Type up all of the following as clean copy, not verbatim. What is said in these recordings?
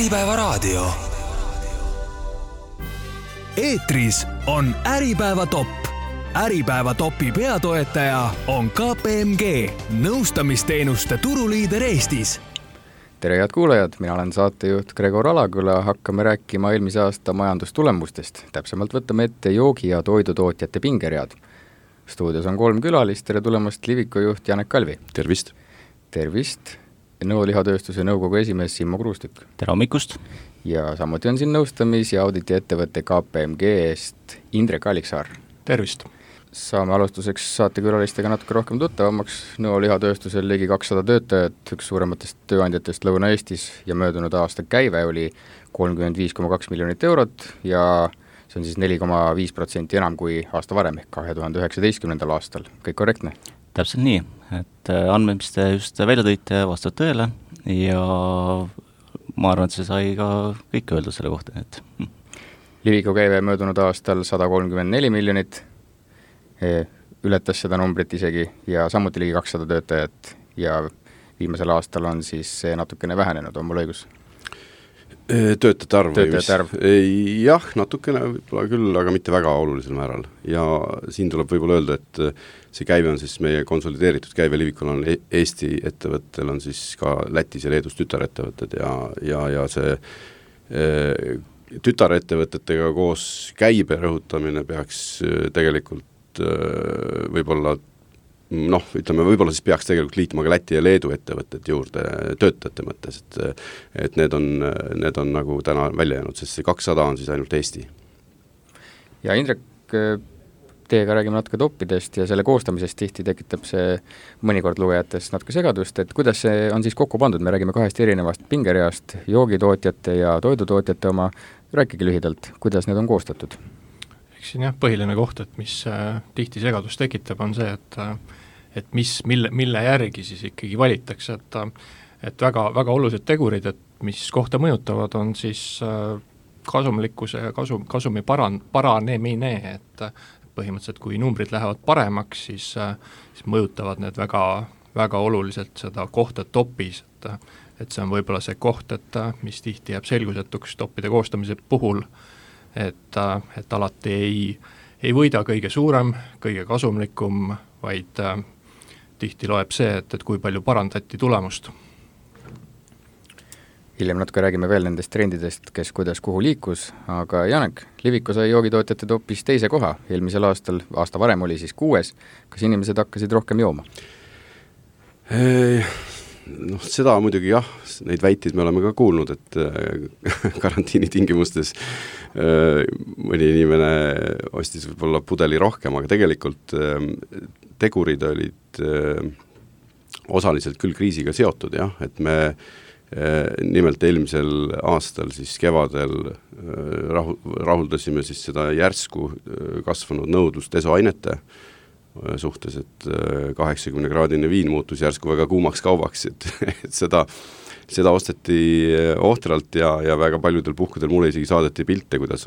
Äripäeva raadio. Eetris on Äripäeva top. Äripäeva topi peatoetaja on KPMG, nõustamisteenuste turuliider Eestis. Tere head kuulajad, mina olen saatejuht Gregor Alaküla, hakkame rääkima eelmise aasta majandustulemustest. Täpsemalt võtame ette joogi- ja toidutootjate pingeread. Stuudios on 3 külalist, tere tulemast Liviko juht Janek Kalvi. Tervist. Tervist. Nõo lihatööstuse nõukogu esimees Simmo Kruustük. Tere hommikust. Ja samuti on siin nõustamis- ja auditiettevõtte KPMG eest Indrek Alliksaar. Tervist. Saame alustuseks saatekülalistega natuke rohkem tuttavamaks. Nõo lihatööstusel ligi 200 töötajat, üks suurematest tööandjatest Lõuna-Eestis ja möödunud aasta käive oli 35,2 miljonit eurot ja see on siis 4,5% enam kui aasta varem, ehk 2019. aastal. Kõik korrektne? Täpselt nii, et andmed, mis te just välja tõite, vastavad tõele ja ma arvan, et see sai ka kõik öelda selle kohta. Liviko käive möödunud aastal 134 miljonit, ületas seda numbrit isegi ja samuti ligi 200 töötajat ja viimasel aastal on siis see natukene vähenenud, on mul õigus? Töötajate arv. Jah, natukene võib-olla küll, aga mitte väga olulisel määral. Ja siin tuleb võib-olla öelda, et see käive on siis meie konsolideeritud käive. Livikul on Eesti ettevõttel on siis ka Lätis ja Leedus tütarettevõtted ja see tütarettevõtetega koos käibe rõhutamine peaks tegelikult võib-olla võib-olla siis peaks tegelikult liitma ka Läti ja Leedu ettevõtted juurde töötajate mõttes, et need on nagu täna välja jäänud, sest see 200 on siis ainult Eesti. Ja Indrek, teiega räägime natuke toppidest ja selle koostamisest tihti tekitab see mõnikord lugejates natuke segadust, et kuidas see on siis kokku pandud, me räägime 2 erinevast pingereast, joogitootjate ja toidutootjate oma, rääkige lühidalt, kuidas need on koostatud? Eks siin põhiline koht, et mis tihti segadust tekitab, on see, et mille järgi siis ikkagi valitakse, et väga olulised tegurid, et mis kohta mõjutavad, on siis kasumlikkuse ja kasumi paranemine, et põhimõtteliselt kui numbrid lähevad paremaks, siis mõjutavad need väga oluliselt seda kohta topis, et see on võib-olla see koht, et mis tihti jääb selgusetuks toppide koostamise puhul, et alati ei võida kõige suurem, kõige kasumlikum, vaid tihti loeb see, et kui palju parandati tulemust. Hiljem natuke räägime veel nendest trendidest, kes kuidas kuhu liikus, aga Janek, Liviko sai joogitootjate topis 2. koha. Eelmisel aasta varem oli siis 6. Kas inimesed hakkasid rohkem jooma? Seda muidugi jah, neid väiteid me oleme ka kuulnud, et karantiini tingimustes mõni inimene ostis võib-olla pudeli rohkem, aga tegelikult tegurid olid osaliselt küll kriisiga seotud, jah, et me nimelt eelmisel aastal siis kevadel rahuldasime siis seda järsku kasvanud nõudlust desoainete suhtes, et 80-kraadine viin muutus järsku väga kuumaks kaubaks, et seda osteti ohtralt ja väga paljudel puhkudel mulle isegi saadeti pilte, kuidas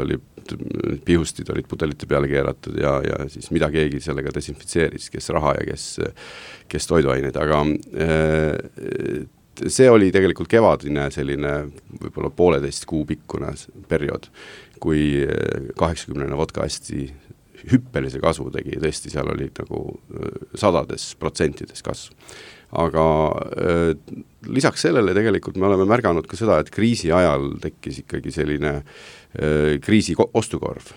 pihustid olid pudelite peale keeratud ja siis mida keegi sellega desinfitseeris, kes raha ja kes toiduaineid, aga see oli tegelikult kevadine selline võib-olla 1,5 kuu pikkune periood, kui 80 vodka hästi hüppelise kasvu tegi, tõesti seal oli nagu 100% kasv. Aga lisaks sellele tegelikult me oleme märganud ka seda, et kriisi ajal tekkis ikkagi selline kriisi ostukorv.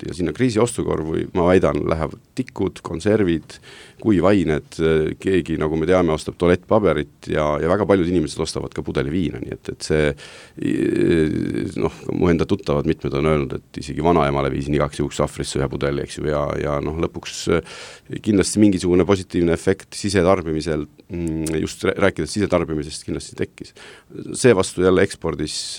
Ja sinna kriisi ostukorvu, ma väidan, lähevad tikud, konservid, kuivained, keegi, nagu me teame, ostab tualettpaberit ja väga paljud inimesed ostavad ka pudeli viina, nii et see, mu enda tuttavad mitmed on öelnud, et isegi vanaemale viisin igaks juhuks sahvrisse ühe pudeli, eks ju, ja lõpuks kindlasti mingisugune positiivne efekt sisetarbimisel, just rääkides sisetarbimisest kindlasti tekkis. See vastu jälle ekspordis,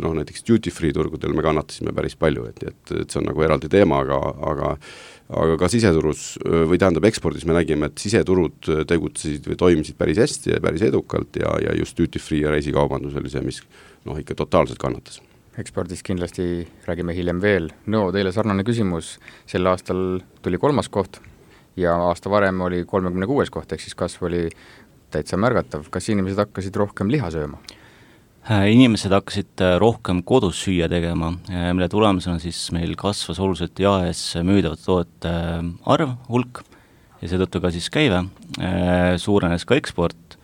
näiteks duty free turgudel me kannatasime päris palju, et see on nagu eraldi teema, aga ka siseturus, või tähendab ekspordis me nägime, et siseturud tegutsesid või toimisid päris hästi ja päris edukalt ja just duty free ja reisikaubandus oli see, mis ikka totaalselt kannatas. Ekspordist kindlasti räägime hiljem veel. Teile sarnane küsimus, sel aastal tuli 3. koht ja aasta varem oli 36. koht, ehk siis kasv oli täitsa märgatav. Kas inimesed hakkasid rohkem liha sööma? Inimesed hakkasid rohkem kodus süüa tegema, mille tulemusena siis meil kasvas oluliselt jaes müüdavate toodete arv, hulk ja seetõttu ka siis käive, suurenes ka eksport.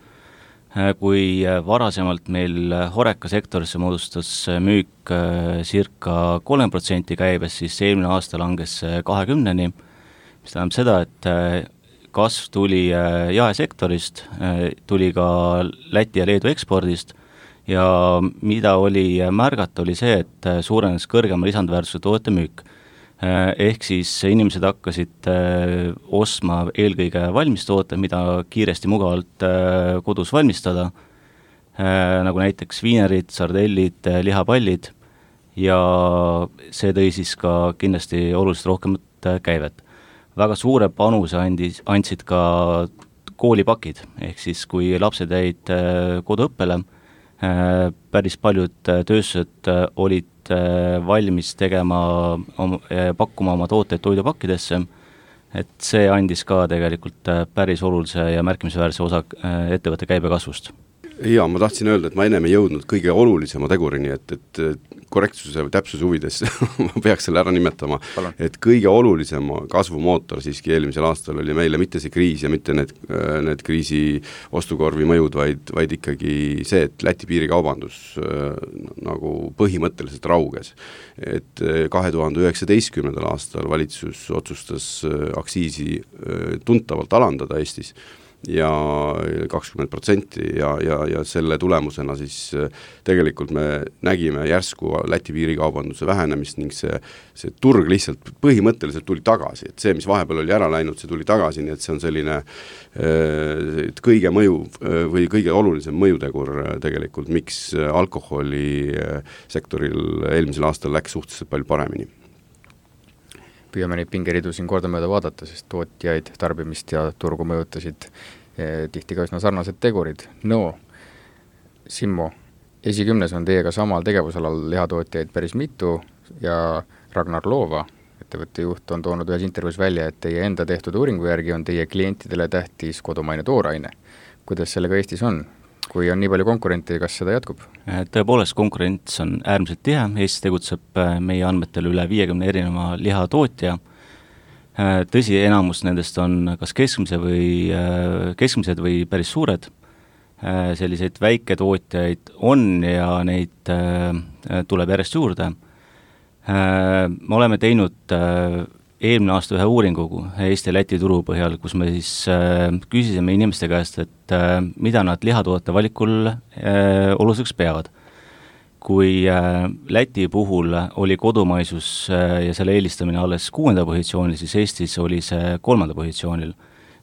Kui varasemalt meil Horeca sektorisse moodustas müük circa 3% käibes, siis eelmine aasta langes 20%, mis tähendab seda, et kasv tuli jaesektorist, tuli ka Läti ja Leedu ekspordist ja mida oli märgata, oli see, et suurenes kõrgema lisandväärtuse toodete müük. Ehk siis inimesed hakkasid ostma eelkõige valmistoote, mida kiiresti mugavalt kodus valmistada, nagu näiteks viinerid, sardellid, lihapallid ja see tõi siis ka kindlasti oluliselt rohkemat käivet. Väga suure panuse andsid ka koolipakid, ehk siis kui lapsed jäid koduõppele, päris paljud tööstused olid valmis pakkuma oma tooteid toidupakkidesse, et see andis ka tegelikult päris olulise ja märkimisväärse osa ettevõtte käibe kasvust. Jaa, ma tahtsin öelda, et ma ennem ei jõudnud kõige olulisema tegurini, et korrektsuse või täpsuse huvides ma peaks selle ära nimetama, et kõige olulisem kasvumootor siiski eelmisel aastal oli meile mitte see kriis ja mitte need kriisi ostukorvi mõjud, vaid ikkagi see, et Läti piirikaubandus nagu põhimõtteliselt rauges. Et 2019. aastal valitsus otsustas aktsiisi tuntavalt alandada Eestis ja 20% ja selle tulemusena siis tegelikult me nägime järsku Läti piirikaubanduse vähenemist ning see turg lihtsalt põhimõtteliselt tuli tagasi, et see, mis vahepeal oli ära läinud, see tuli tagasi, nii et see on selline kõige mõju või kõige olulisem mõjutegur tegelikult, miks alkoholi sektoril eelmisel aastal läks suhteliselt palju paremini. Püüame neid pingeridu siin kordamööda vaadata, sest tootjaid, tarbimist ja turgu mõjutasid tihti ka üsna sarnased tegurid. No, Simmo, esikümnes on teiega samal tegevusalal lihatootjaid päris mitu ja Ragnar Loova, ettevõtte juht, on toonud ühes intervjuus välja, et teie enda tehtud uuringu järgi on teie klientidele tähtis kodumaine tooraine. Kuidas sellega Eestis on? Kui on nii palju konkurenti, kas seda jätkub? Tõepoolest, konkurents on äärmiselt tihe. Eestis tegutseb meie andmetel üle 50 erineva lihatootja. Tõsi, enamus nendest on kas keskmised või päris suured. Selliseid väiketootjaid on ja neid tuleb järjest juurde. Me oleme teinud eelmine aasta ühe uuringu Eesti ja Läti turu põhjal, kus me siis küsisime inimeste käest, et mida nad lihatoodete valikul oluliseks peavad. Kui Läti puhul oli kodumaisus ja selle eelistamine alles 6. positsioonil, siis Eestis oli see 3. positsioonil.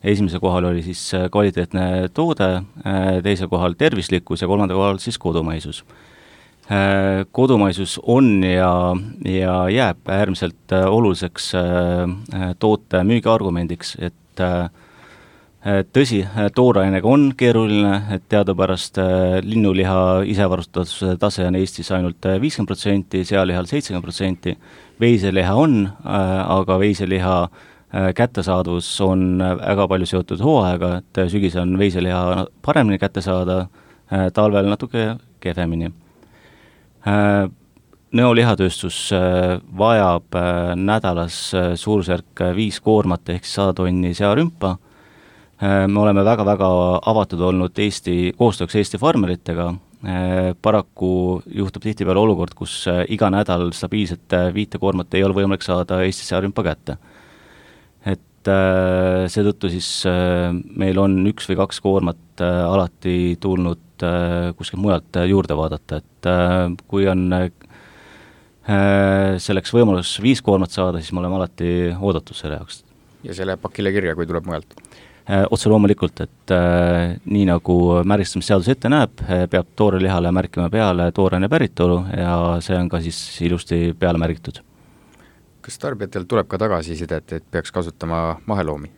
Esimese kohal oli siis kvaliteetne toode, teise kohal tervislikkus ja 3. kohal siis kodumaisus. Kodumaisus on ja jääb äärmiselt oluliseks toote müügiargumendiks, et tõsi, toorainega on keeruline, et teadupärast linnuliha isevarustatuse tase on Eestis ainult 50%, sealihal 70%, veiseliha on, aga veiseliha kättesaadus on väga palju seotud hooaega, et sügis on veiseliha paremini kätte saada, talvel natuke kehvemini. Nõolihatööstus vajab nädalas suurusjärk 5 koormat ehk 100 tonni searümpa. Me oleme väga-väga avatud olnud koostööks Eesti farmeritega. Paraku juhtub tihtipeale olukord, kus iga nädal stabiilset 5 koormat ei ole võimalik saada Eesti searümpa kätte. Et seetõttu siis meil on 1 või 2 koormat alati tulnud kuskil mujalt juurde vaadata, et kui on selleks võimalus 5 koormat saada, siis me oleme alati oodatud selle jaoks. Ja see läheb pakile kirja, kui tuleb mujalt? Otse loomulikult, et nii nagu märgistamisseadus ette näeb, peab toorelihale märkima peale tooraine päritolu ja see on ka siis ilusti peale märgitud. Kas tarbijatel tuleb ka tagasisidet, et peaks kasutama maheloomi?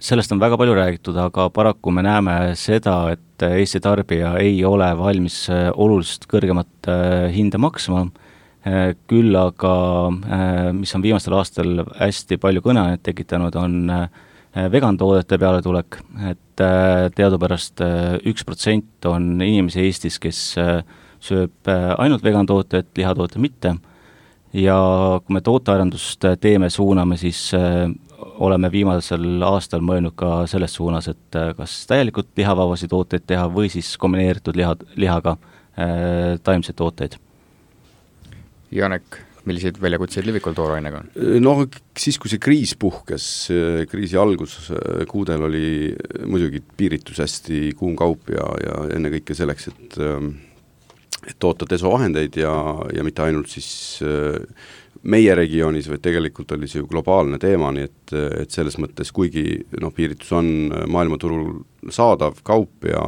Sellest on väga palju räägitud, aga paraku me näeme seda, et Eesti tarbija ei ole valmis oluliselt kõrgemat hinda maksma, küll aga, mis on viimastel aastal hästi palju kõneainet tekitanud, on vegantoodete peale tulek, et teadupärast 1% on inimesi Eestis, kes sööb ainult vegantooted, lihatooted mitte, ja kui me tootearendust teeme, suuname, siis oleme viimasel aastal mõelnud ka selles suunas, et kas täielikult lihavabasi tooteid teha või siis kombineeritud lihaga taimseid tooteid. Janek, milliseid väljakutseid Livikul toorainega on? No siis, kui see kriis puhkes, kriisi alguskuudel oli muidugi piiritus hästi kuum kaup ja enne kõike selleks, et toota desovahendeid ja mitte ainult siis meie regioonis, vaid tegelikult oli see ju globaalne teema, nii et selles mõttes, kuigi piiritus on maailmaturul saadav kaup ja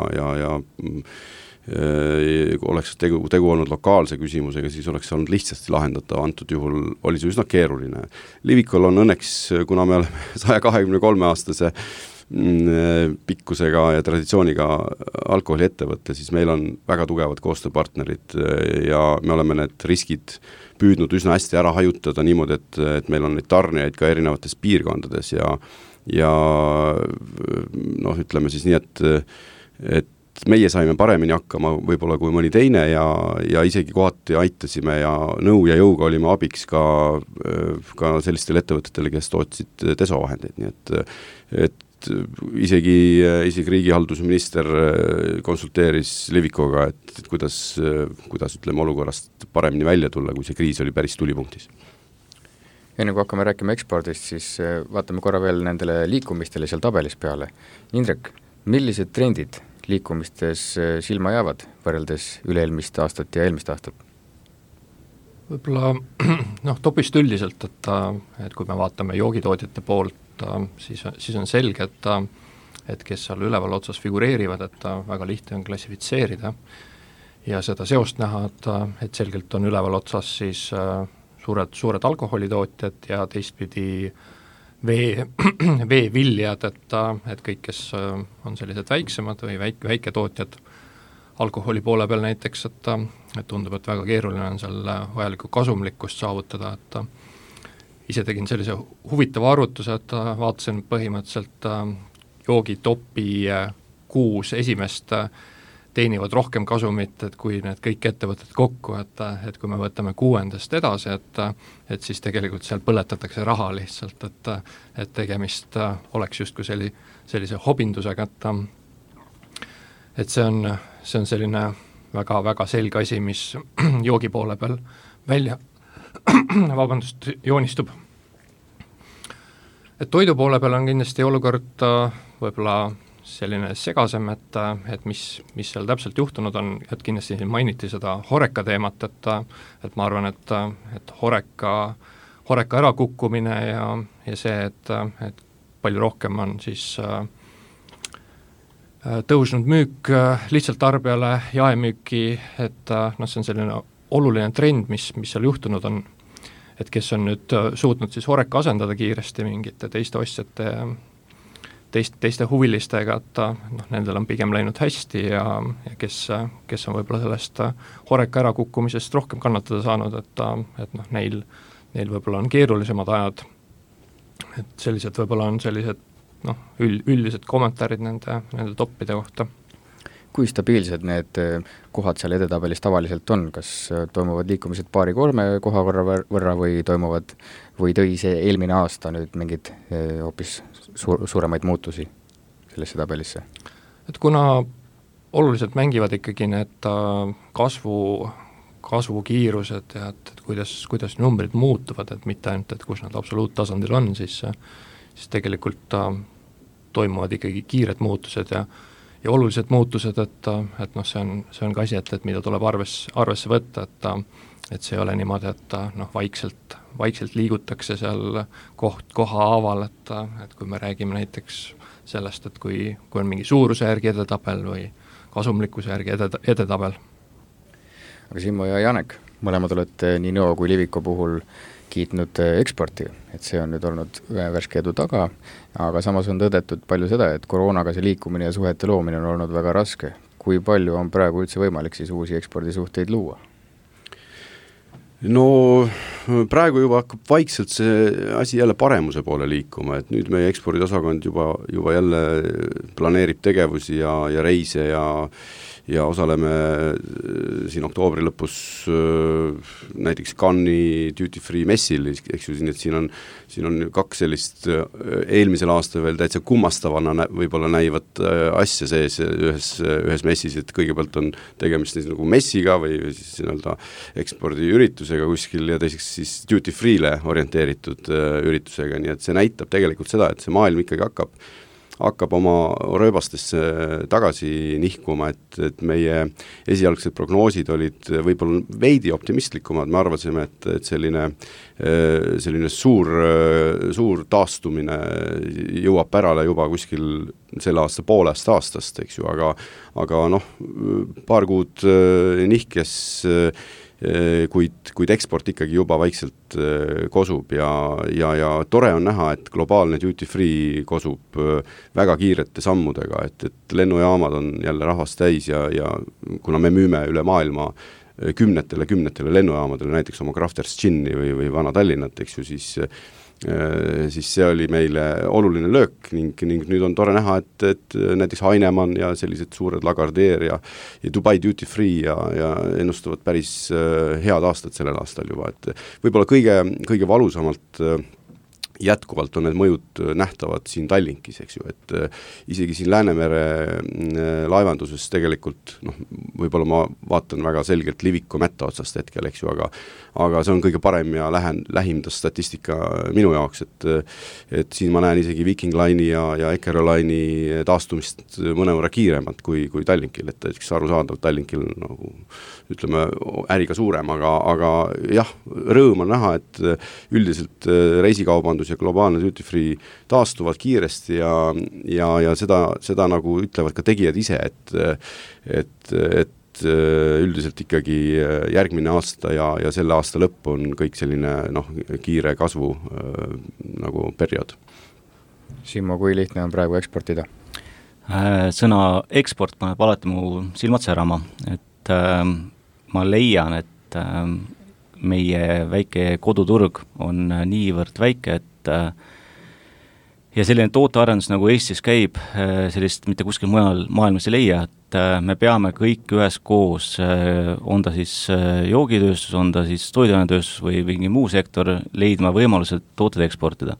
oleks tegu olnud lokaalse küsimusega, siis oleks olnud lihtsasti lahendatav, antud juhul oli see üsna keeruline. Livikul on õnneks, kuna me oleme 123-aastase pikkusega ja traditsiooniga alkoholiettevõtte, siis meil on väga tugevad koostööpartnerid ja me oleme need riskid püüdnud üsna hästi ära hajutada niimoodi, et meil on neid tarnijaid ka erinevates piirkondades ja ütleme siis nii, et meie saime paremini hakkama võib-olla kui mõni teine ja isegi kohati aitasime ja nõu ja jõuga olime abiks ka sellistele ettevõtetele, kes tootsid desovahendeid, nii et isegi riigihaldusminister konsulteeris Livikoga, et kuidas ütleme olukorrast paremini välja tulla, kui see kriis oli päris tulipunktis. Enne kui hakkame rääkima ekspordist, siis vaatame korra veel nendele liikumistele seal tabelis peale. Indrek, millised trendid liikumistes silma jäävad võrreldes üle-eelmist aastat ja eelmist aastat? Võib-olla topist üldiselt, et kui me vaatame joogitootjate poolt, siis on selge, et kes seal üleval otsas figureerivad, et väga lihtne on klassifitseerida ja seda seost näha, et selgelt on üleval otsas siis suured alkoholitootjad ja teistpidi veeviljad, et kõik, kes on sellised väiksemad või väiketootjad alkoholi poole peal näiteks, et tundub, et väga keeruline on seal vajalikku kasumlikkust saavutada, et ise tegin sellise huvitava arvutuse, et vaatasin põhimõtteliselt joogitopi 6 esimest teenivad rohkem kasumit, et kui need kõik ettevõtted kokku, et kui me võtame 6. edasi, et siis tegelikult seal põletatakse raha lihtsalt, et tegemist oleks justkui sellise hobindusega, et see on selline väga-väga selge asi, mis joogi poole peal välja joonistub. Et toidu poole peal on kindlasti olukord võib-olla selline segasem, et mis seal täpselt juhtunud on, et kindlasti mainiti seda Horeca teemat, et ma arvan, et Horeca ärakukkumine ja see, et palju rohkem on siis tõusnud müük lihtsalt tarbijale jaemüüki, et see on selline oluline trend, mis seal juhtunud on, et kes on nüüd suutnud siis Horeca asendada kiiresti mingite teiste ostjate teiste huvilistega, et nendel on pigem läinud hästi ja kes on võib-olla sellest Horeca ärakukkumisest rohkem kannatada saanud, et neil võib-olla on keerulisemad ajad, et sellised võib-olla on sellised üldised kommentaarid nende toppide kohta. Kui stabiilsed need kohad seal edetabelis tavaliselt on? Kas toimuvad liikumised 2-3 koha võrra või tõi see eelmine aasta nüüd mingid hoopis suuremaid muutusi sellesse tabelisse? Et kuna oluliselt mängivad ikkagi need kasvukiirused ja et kuidas numbrid muutuvad, et mitte ainult, et kus nad absoluuttasandil on, siis tegelikult toimuvad ikkagi kiired muutused ja olulised muutused, et see on ka asi, et mida tuleb arvesse võtta, et see ei ole niimoodi, et vaikselt liigutakse seal koha haaval, et kui me räägime näiteks sellest, et kui on mingi suuruse järgi edetabel või kasumlikkuse järgi edetabel. Aga Simmo ja Janek, mõlemad olete nii Nõo kui Liviko puhul kiitnud eksporti, et see on nüüd olnud värske edu taga, aga samas on tõdetud palju seda, et koroonaga see liikumine ja suhete loomine on olnud väga raske. Kui palju on praegu üldse võimalik siis uusi ekspordisuhteid luua? No praegu juba hakkab vaikselt see asi jälle paremuse poole liikuma, et nüüd meie ekspordiosakond juba jälle planeerib tegevusi ja reise ja osaleme siin oktoobri lõpus näiteks Cannes'i Duty Free messil, eks ju, et siin on kaks sellist eelmisel aastal veel täitsa kummastavana võib-olla näivat asja sees ühes messis, et kõigepealt on tegemist nagu messiga või siis nii-öelda ekspordiüritusega kuskil ja teiseks siis Duty Free'le orienteeritud üritusega, nii et see näitab tegelikult seda, et see maailm ikkagi hakkab oma rööbastesse tagasi nihkuma, et meie esialgsed prognoosid olid võib-olla veidi optimistlikumad, me arvasime, et selline suur taastumine jõuab pärale juba kuskil selle aasta poolest aastast, eks ju, aga paar kuud nihkes, kuid eksport ikkagi juba vaikselt kosub ja tore on näha, et globaalne duty free kosub väga kiirete sammudega, et lennujaamad on jälle rahvast täis ja kuna me müüme üle maailma kümnetele lennujaamadele, näiteks oma Crafters Ginni või Vana Tallinnat, eks ju, siis see oli meile oluline löök ning nüüd on tore näha, et näiteks Heinemann ja sellised suured Lagardère ja Dubai Duty Free ja ennustavad päris head aastat sellel aastal juba, et võib-olla kõige valusamalt jätkuvalt on need mõjud nähtavad siin Tallinkis, eks ju, et isegi siin Läänemere laevanduses tegelikult, võib-olla ma vaatan väga selgelt Liviko mätta otsast hetkel, eks ju, aga see on kõige parem ja lähimdas statistika minu jaoks, et siin ma näen isegi Viking Line'i ja Eckeroline'i taastumist mõnevõrra kiiremat kui Tallinkil, et eks arusaadav Tallinkil nagu ütleme äriga suurem, aga jah, rõõm on näha, et üldiselt reisikaubandus ja globaalne duty free taastuvad kiiresti ja seda nagu ütlevad ka tegijad ise, et üldiselt ikkagi järgmine aasta ja selle aasta lõpp on kõik selline kiire kasvu nagu periood. Simmo, kui lihtne on praegu eksportida? Sõna eksport paneb alati mu silmad särama, et ma leian, et meie väike koduturg on niivõrd väike, et ja selline tootearendus nagu Eestis käib, sellist mitte kuskil mujal maailmas ei leia, et me peame kõik üheskoos, on ta siis joogitööstus, on ta siis toiduainetööstus või mingi muu sektor, leidma võimalused tooted eksportida.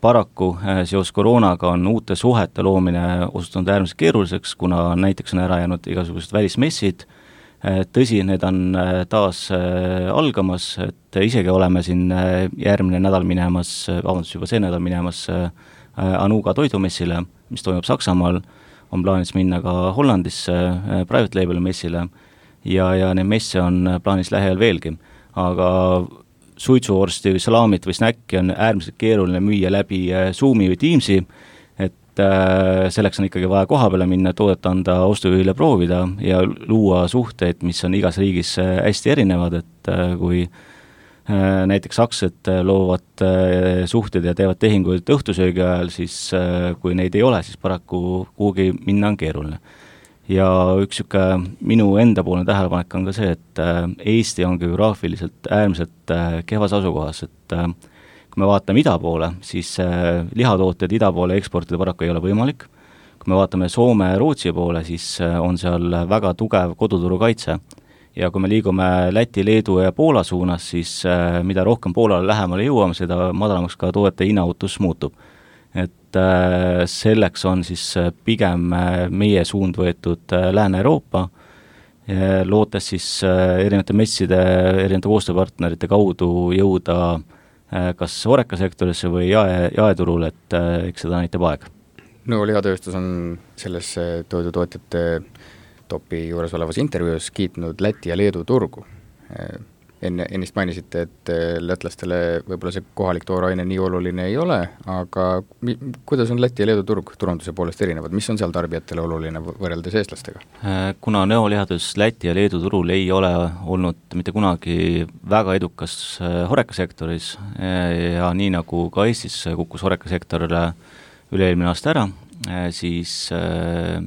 Paraku seos koroonaga on uute suhete loomine osutunud äärmiselt keeruliseks, kuna näiteks on ära jäänud igasugused välismessid. Tõsi, need on taas algamas, et isegi oleme siin järgmine nädal minemas, juba see nädal minemas Anuga toidumessile, mis toimub Saksamaal, on plaanis minna ka Hollandisse private label messile ja neid messe on plaanis lähiajal veelgi, aga suitsuvorsti või salaamit või snäkki on äärmiselt keeruline müüa läbi Zoomi või Teamsi, et selleks on ikkagi vaja koha peale minna, toodet anda ostujuhile proovida ja luua suhteid, mis on igas riigis hästi erinevad, et kui näiteks sakslased loovad suhted ja teevad tehinguid õhtusöögi ajal, siis kui neid ei ole, siis paraku kuhugi minna on keeruline. Ja üks minu enda poolne tähelepanek on ka see, et Eesti on geograafiliselt äärmiselt kehvas asukohas, et kui me vaatame ida poole, siis lihatooted ida poole eksportida paraku ei ole võimalik. Kui me vaatame Soome ja Rootsi poole, siis on seal väga tugev koduturu kaitse. Ja kui me liigume Läti, Leedu ja Poola suunas, siis mida rohkem Poolale lähemale jõuame, seda madalamaks ka toodete hinnautus muutub. Et selleks on siis pigem meie suund võetud Lääne-Euroopa, lootes siis erinevate messide, erinevate koostööpartnerite kaudu jõuda kas orekasektorisse või jaeturul, et eks seda näitab aeg. Lihatööstus on selles toidutootjate topi juures olevas intervjuus kiitnud Läti ja Leedu turgu. Ennist mainisite, et lätlastele võib-olla see kohalik tooraine nii oluline ei ole, aga kuidas on Läti ja Leedu turunduse poolest erinevad? Mis on seal tarbijatele oluline võrreldes eestlastega? Kuna neolihatööstus Läti ja Leedu turul ei ole olnud mitte kunagi väga edukas horekasektoris ja nii nagu ka Eestis kukkus horekasektor üle-eelmine aasta ära, siis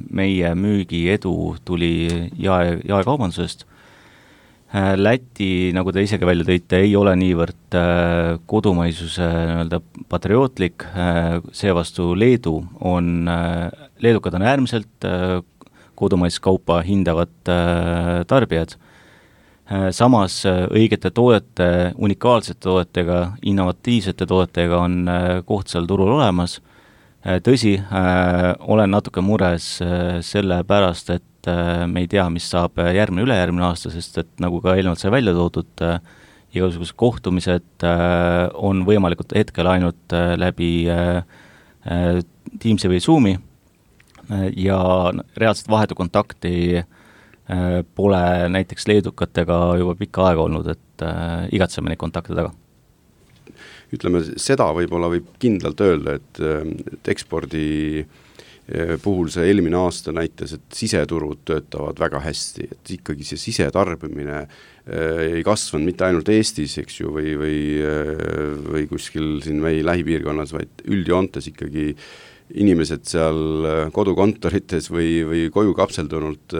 meie müügi edu tuli jaekaubandusest. Läti, nagu te isegi välja tõite, ei ole niivõrd kodumaisuse nii-öelda patriootlik, seevastu leedukad on äärmiselt kodumaist kaupa hindavad tarbijad. Samas õigete toodete, unikaalsete toodetega, innovatiivsete toodetega on koht seal turul olemas. Tõsi, olen natuke mures selle pärast, et me ei tea, mis saab ülejärgmine aasta, sest et nagu ka eelnevalt sai välja toodud, igasugused kohtumised on võimalikud hetkel ainult läbi Teamsi või Zoomi ja reaalselt vahetu kontakti pole näiteks leedukatega juba pikka aega olnud, et igatseme neid kontakte taga. Ütleme, seda võib-olla võib kindlalt öelda, et ekspordi puhul see eelmine aasta näitas, et siseturud töötavad väga hästi, et ikkagi see sisetarbimine ei kasvanud mitte ainult Eestis, eks ju, või kuskil siin meie lähipiirkonnas, vaid üldjoontes ikkagi inimesed seal kodukontorites või koju kapseldunult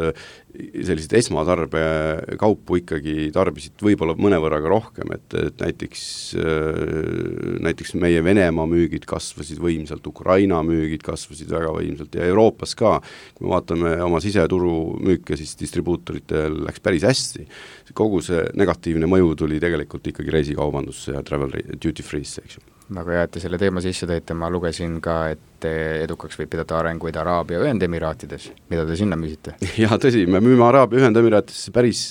sellised esmatarbekaupu ikkagi tarbisid võib-olla mõnevõrraga rohkem, et näiteks meie Venemaa müügid kasvasid võimsalt, Ukraina müügid kasvasid väga võimsalt ja Euroopas ka, kui me vaatame oma siseturu müüke, siis distribuutoritel läks päris hästi. Kogu see negatiivne mõju tuli tegelikult ikkagi reisikaubandusse ja travel duty free'sse, eks ju. Väga hea, et te selle teema sisse tõite, ma lugesin ka, et edukaks võib pidada arenguid Araabia Ühendemiraatides. Mida te sinna müüsite? Ja tõsi, me müüme Araabia Ühendemiraatidesse päris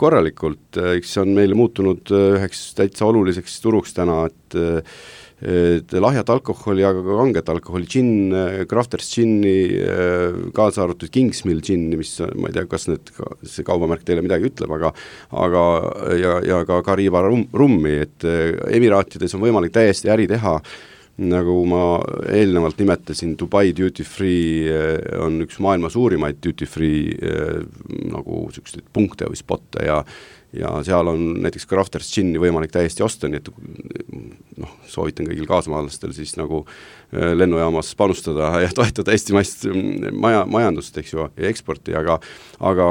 korralikult, eks see on meile muutunud üheks täitsa oluliseks turuks täna, et lahjat alkoholi, aga ka kanget alkoholi, gin, Crafters ginni, kaasa arvatud Kingsmill ginni, mis ma ei tea, kas see kaubamärk teile midagi ütleb, aga ja ka Kariba rummi, et Emiraatides on võimalik täiesti äri teha, nagu ma eelnevalt nimetasin, Dubai Duty Free on üks maailma suurimaid Duty Free nagu selliseid punkte või spotte ja seal on näiteks Crafters ginni võimalik täiesti osta, nii et soovitan kõigil kaasmaalastel siis nagu lennujaamas panustada ja toetada eestimaist majandust, eks ju, ja eksporti, aga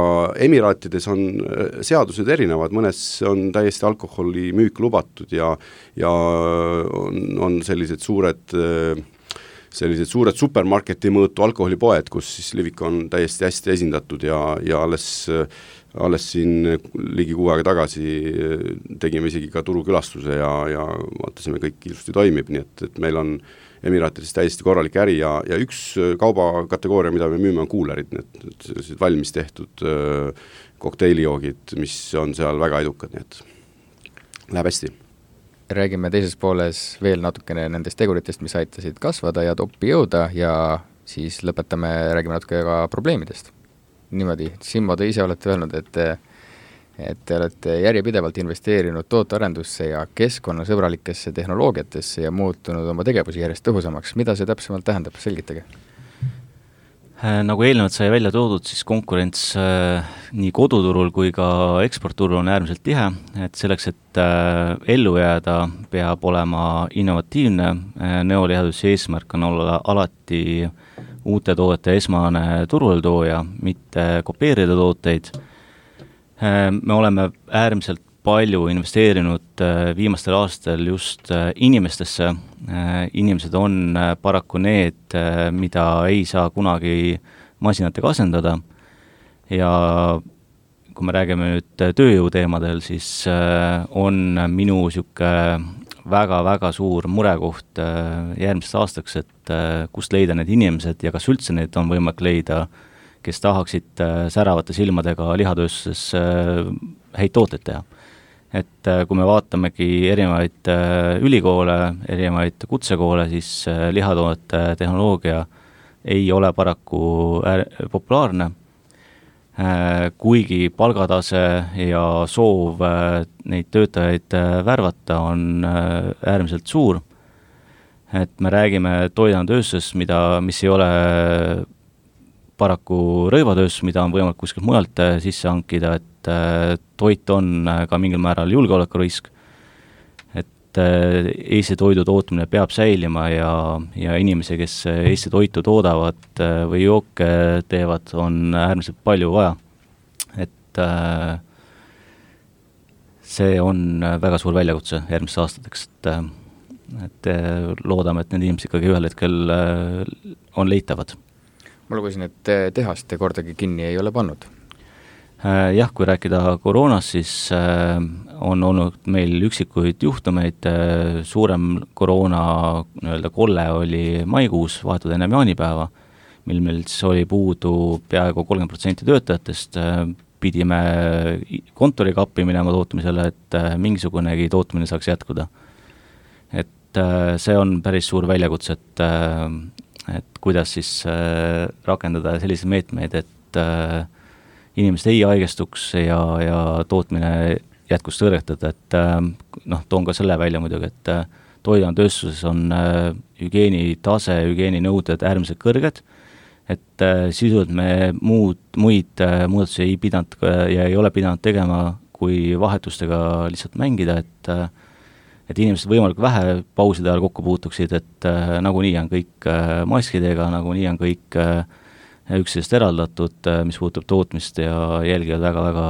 Emiraatides on seadused erinevad, mõnes on täiesti alkoholi müük lubatud ja on sellised suured supermarketi mõõtu alkoholipoed, kus siis Livik on täiesti hästi esindatud ja alles siin ligi 6 aega tagasi tegime isegi ka turukülastuse ja vaatasime, kõik ilusti toimib, nii et meil on Emiraatides täiesti korralik äri ja üks kaubakategooria, mida me müüme, on kuulerid, need valmis tehtud kokteilijoogid, mis on seal väga edukad, nii et läheb hästi. Räägime teises pooles veel natukene nendest teguritest, mis aitasid kasvada ja toppi jõuda ja siis räägime natuke ka probleemidest. Niimoodi, Simmo, te ise olete öelnud, et te olete järjepidevalt investeerinud tootearendusse ja keskkonnasõbralikesse tehnoloogiatesse ja muutunud oma tegevusi järjest tõhusamaks. Mida see täpsemalt tähendab? Selgitage. Nagu eelnevalt sai välja toodud, siis konkurents nii koduturul kui ka eksportturul on äärmiselt tihe, et selleks, et ellu jääda, peab olema innovatiivne. Neolihaduse eesmärk on olla alati uute toodete esmane turuletooja, mitte kopeerida tooteid. Me oleme äärmiselt palju investeerinud viimastel aastal just inimestesse. Inimesed on paraku need, mida ei saa kunagi masinatega asendada. Ja kui me räägime nüüd tööjõu teemadel, siis on minu siuke väga-väga suur murekoht järgmisest aastaks, et kust leida need inimesed ja kas üldse need on võimalik leida, kes tahaksid säravate silmadega lihatööstuses häid tooteid teha. Et kui me vaatamegi erinevaid ülikoole, erinevaid kutsekoole, siis lihatoodete tehnoloogia ei ole paraku populaarne, kuigi palgatase ja soov neid töötajaid värvata on äärmiselt suur. Et me räägime toiduainetööstusest, mis ei ole paraku rõivatööstus, mida on võimalik kuskilt mujalt sisse hankida, et toit on ka mingil määral julgeolekurisk, et Eesti toidu tootmine peab säilima ja inimesi, kes Eesti toitu toodavad või jooke teevad, on äärmiselt palju vaja. Et see on väga suur väljakutse järgmistes aastateks, et loodame, et need inimesed ikkagi ühel hetkel on leitavad. Ma lugesin, et tehast te kordagi kinni ei ole pannud. Jah, kui rääkida koroonast, siis on olnud meil üksikuid juhtumeid, suurem koroona kolle oli maikuus, vahetud enne jaanipäeva, mil meil siis oli puudu peaaegu 30% töötajatest, pidime kontoriga appi minema tootmisele, et mingisugunegi tootmine saaks jätkuda. Et see on päris suur väljakutse, et kuidas siis rakendada selliseid meetmeid, et inimesed ei haigestuks ja tootmine jätkus tõrjetada, et toon ka selle välja muidugi, et toiduainetööstuses on hügieenitase, hügieeninõuded äärmiselt kõrged, et sisuliselt me muid muudatusi ei pidanud ja ei ole pidanud tegema, kui vahetustega lihtsalt mängida, et inimesed võimalikult vähe pauside ajal kokku puutuksid, et nagunii on kõik maskidega, nagunii on kõik üksteisest eraldatud, mis puutub tootmist ja jälgivad väga-väga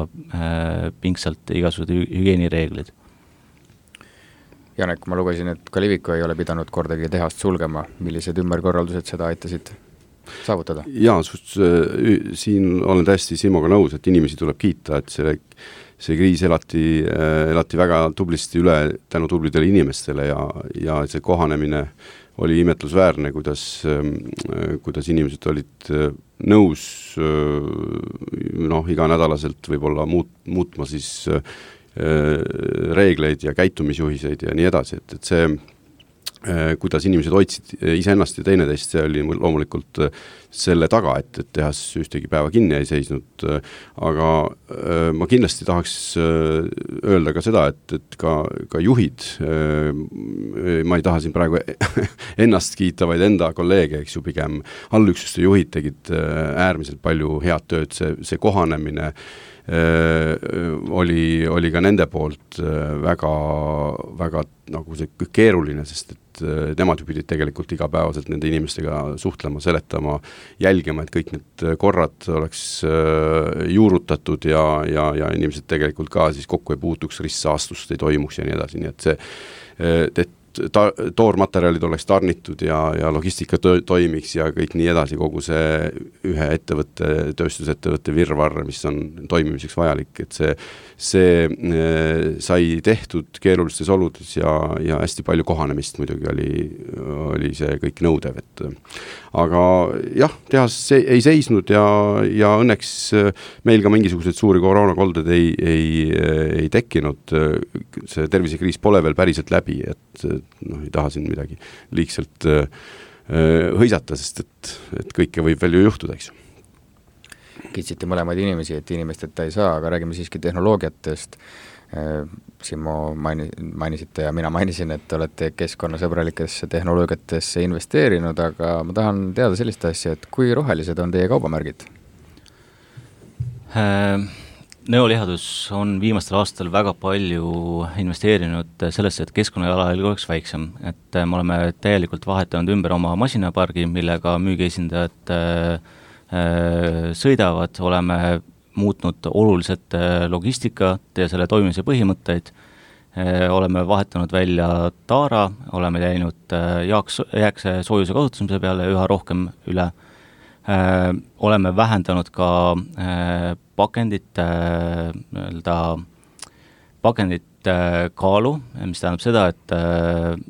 pingsalt igasugused hügieenireeglid. Janek, ma lugesin, et ka Liviko ei ole pidanud kordagi tehast sulgema. Millised ümberkorraldused seda aitasid saavutada? Jaa, siin olen täiesti Simoga nõus, et inimesi tuleb kiita, et see kriis elati väga tublisti üle tänu tublidele inimestele ja see kohanemine oli imetlusväärne, kuidas inimesed olid nõus iganädalaselt võib-olla muutma siis reegleid ja käitumisjuhiseid ja nii edasi, et see kuidas inimesed hoidsid iseennast ja teineteist, see oli loomulikult selle taga, et tehas ühtegi päeva kinni ei seisnud, aga ma kindlasti tahaks öelda ka seda, et ka juhid, ma ei taha siin praegu ennast kiita, vaid enda kolleege, eks ju, pigem allüksuste juhid tegid äärmiselt palju head tööd, see kohanemine oli ka nende poolt väga, väga nagu see keeruline, sest et nemad ju pidid tegelikult igapäevaselt nende inimestega suhtlema, seletama, jälgima, et kõik need korrad oleks juurutatud ja inimesed tegelikult ka siis kokku ei puutuks, ristsaastust ei toimuks ja nii edasi, nii et see toormaterjalid oleks tarnitud ja logistika toimiks ja kõik nii edasi, kogu see ühe ettevõtte, tööstusettevõtte virvarr, mis on toimimiseks vajalik, et see sai tehtud keerulistes oludes ja hästi palju kohanemist muidugi oli see kõik nõudev, aga jah, tehas ei seisnud ja õnneks meil ka mingisuguseid suuri koroonakolded ei tekkinud, see tervisekriis pole veel päriselt läbi, et ei taha siin midagi liigselt hõisata, sest et kõike võib veel ju juhtuda, eks. Kitsite mõlemaid inimesi, et inimesteta ei saa, aga räägime siiski tehnoloogiatest. Simo mainisite ja mina mainisin, et olete keskkonnasõbralikesse tehnoloogiatesse investeerinud, aga ma tahan teada sellist asja, et kui rohelised on teie kaubamärgid? Nõolihadus on viimastel aastal väga palju investeerinud sellesse, et keskkonnajalajälg oleks väiksem, et me oleme täielikult vahetanud ümber oma masinapargi, millega müügiesindajad sõidavad, oleme muutnud oluliselt logistikat ja selle toimimise põhimõtteid, oleme vahetanud välja taara, oleme läinud jääkse soojuse kasutamise peale üha rohkem üle, oleme vähendanud ka pakendite kaalu, mis tähendab seda, et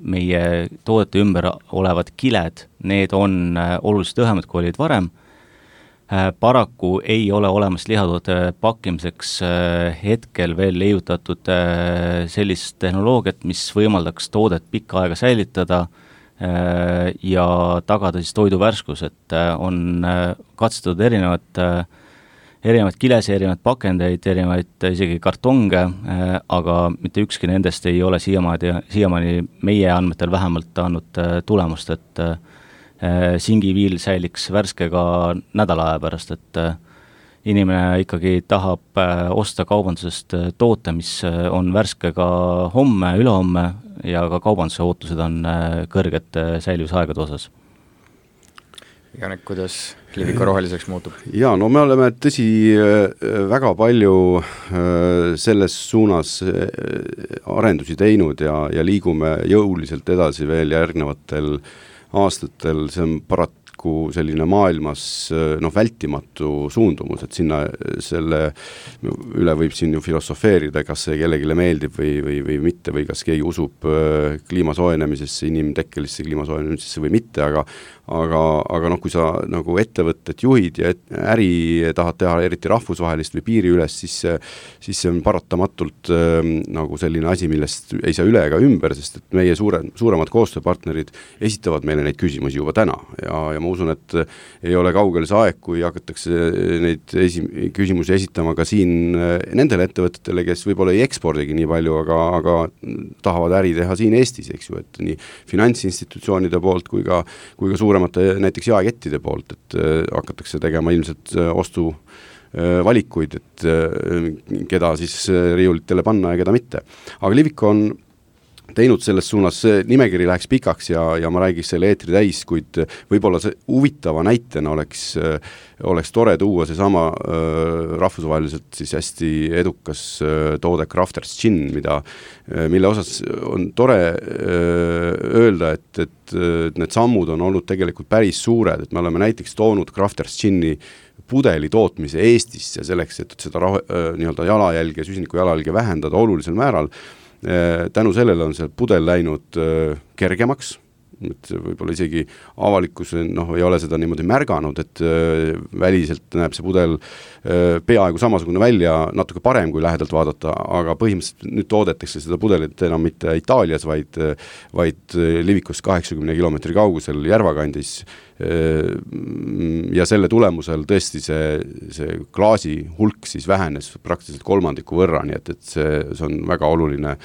meie toodete ümber olevad kiled, need on oluliselt õhemad, kui olid varem. Paraku ei ole olemas lihatoodete pakkimiseks hetkel veel leiutatud sellist tehnoloogiat, mis võimaldaks toodet pikka aega säilitada ja tagada siis toidu värskus, et on katsetatud erinevaid kilesi, erinevaid pakendeid, erinevaid isegi kartonge, aga mitte ükski nendest ei ole siiamaani meie andmetel vähemalt andnud tulemust, et singiviil säiliks värske ka nädala aja pärast, et inimene ikkagi tahab osta kaubandusest toote, mis on värske ka homme, ülehomme ja ka kaubanduse ootused on kõrged säilivusaegade osas. Janek, kuidas Liviko roheliseks muutub? Jaa, no me oleme tõsi väga palju selles suunas arendusi teinud ja liigume jõuliselt edasi veel järgnevatel aastatel, see on selline maailmas vältimatu suundumus, et sinna selle üle võib siin ju filosofeerida, kas see kellegile meeldib või mitte, või kas keegi usub kliimasoojenemisesse, inimtekkelisse kliimasoojenemisesse või mitte, aga kui sa nagu ettevõttet juhid ja äri tahad teha eriti rahvusvahelist või piiri üles, siis see on paratamatult nagu selline asi, millest ei saa üle ega ümber, sest et meie suuremad koostööpartnerid esitavad meile neid küsimusi juba täna ja ma usun, et ei ole kaugel see aeg, kui hakatakse neid küsimusi esitama ka siin nendele ettevõtetele, kes võib-olla ei ekspordigi nii palju, aga tahavad äri teha siin Eestis, eks ju, et nii finantsinstitutsioonide poolt kui ka suuremate näiteks jaekettide poolt, et hakatakse tegema ilmselt ostuvalikuid, et keda siis riiulitele panna ja keda mitte. Aga Liviko on teinud selles suunas, nimekiri läheks pikaks ja ma räägiks selle eetri täis, kuid võib-olla see huvitava näitena oleks tore tuua see sama rahvusvaheliselt siis hästi edukas toode Crafters Gin, mille osas on tore öelda, et need sammud on olnud tegelikult päris suured, et me oleme näiteks toonud Crafters Gini pudeli tootmise Eestisse selleks, et seda nii-öelda jalajälge, süsiniku jalajälge vähendada olulisel määral. Tänu sellele on see pudel läinud kergemaks, et võib-olla isegi avalikkus ei ole seda niimoodi märganud, et väliselt näeb see pudel peaaegu samasugune välja, natuke parem kui lähedalt vaadata, aga põhimõtteliselt nüüd toodetakse seda pudelit enam mitte Itaalias, vaid Livikust 80 kilomeetri kaugusel Järvakandis ja selle tulemusel tõesti see klaasi hulk siis vähenes praktiliselt kolmandiku võrra, nii et see on väga oluline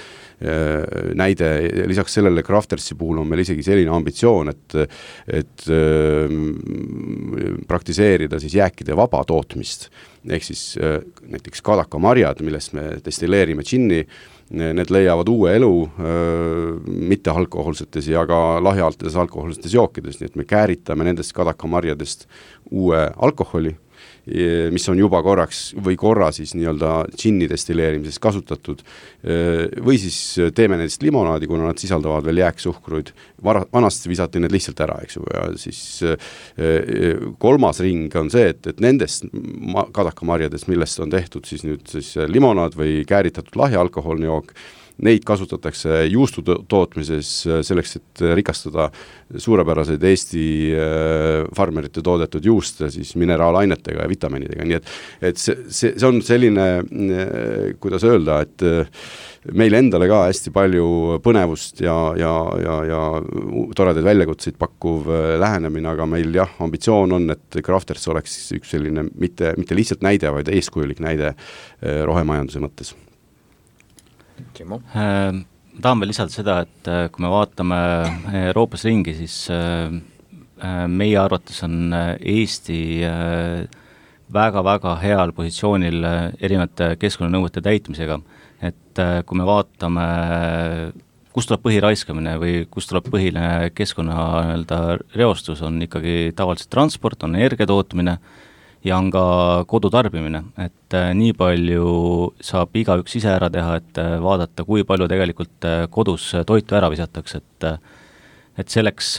näide. Lisaks sellele Craftersi puhul on meil isegi selline ambitsioon, et praktiseerida siis jääkide vaba tootmist, ehk siis näiteks kadakamarjad, millest me destilleerime džinni, need leiavad uue elu mitte alkoholsetes ja ka lahjaltes alkoholsetes jookides, nii et me kääritame nendest kadakamarjadest uue alkoholi, mis on juba korra siis nii-öelda džinni destilleerimises kasutatud, või siis teeme nendest limonaadi, kuna nad sisaldavad veel jääksuhkruid, vanasti visati need lihtsalt ära, eks ju, ja siis kolmas ring on see, et nendest kadakamarjadest, millest on tehtud siis nüüd siis limonaad või kääritatud lahja alkoholne jook, neid kasutatakse juustu tootmises selleks, et rikastada suurepäraseid Eesti farmerite toodetud juuste siis mineraalainetega ja vitamiinidega, nii et see on selline, kuidas öelda, et meil endale ka hästi palju põnevust ja toredaid väljakutseid pakkuv lähenemine, aga meil ambitsioon on, et Crafters oleks üks selline mitte lihtsalt näide, vaid eeskujulik näide rohemajanduse mõttes. Tahan veel lisada seda, et kui me vaatame Euroopas ringi, siis meie arvates on Eesti väga-väga heal positsioonil erinevate keskkonnanõuete täitmisega, et kui me vaatame, kust tuleb põhiraiskamine või kust tuleb põhiline keskkonna reostus, on ikkagi tavaliselt transport, on energia tootmine ja on ka kodutarbimine, et nii palju saab igaüks ise ära teha, et vaadata, kui palju tegelikult kodus toitu ära visatakse, et selleks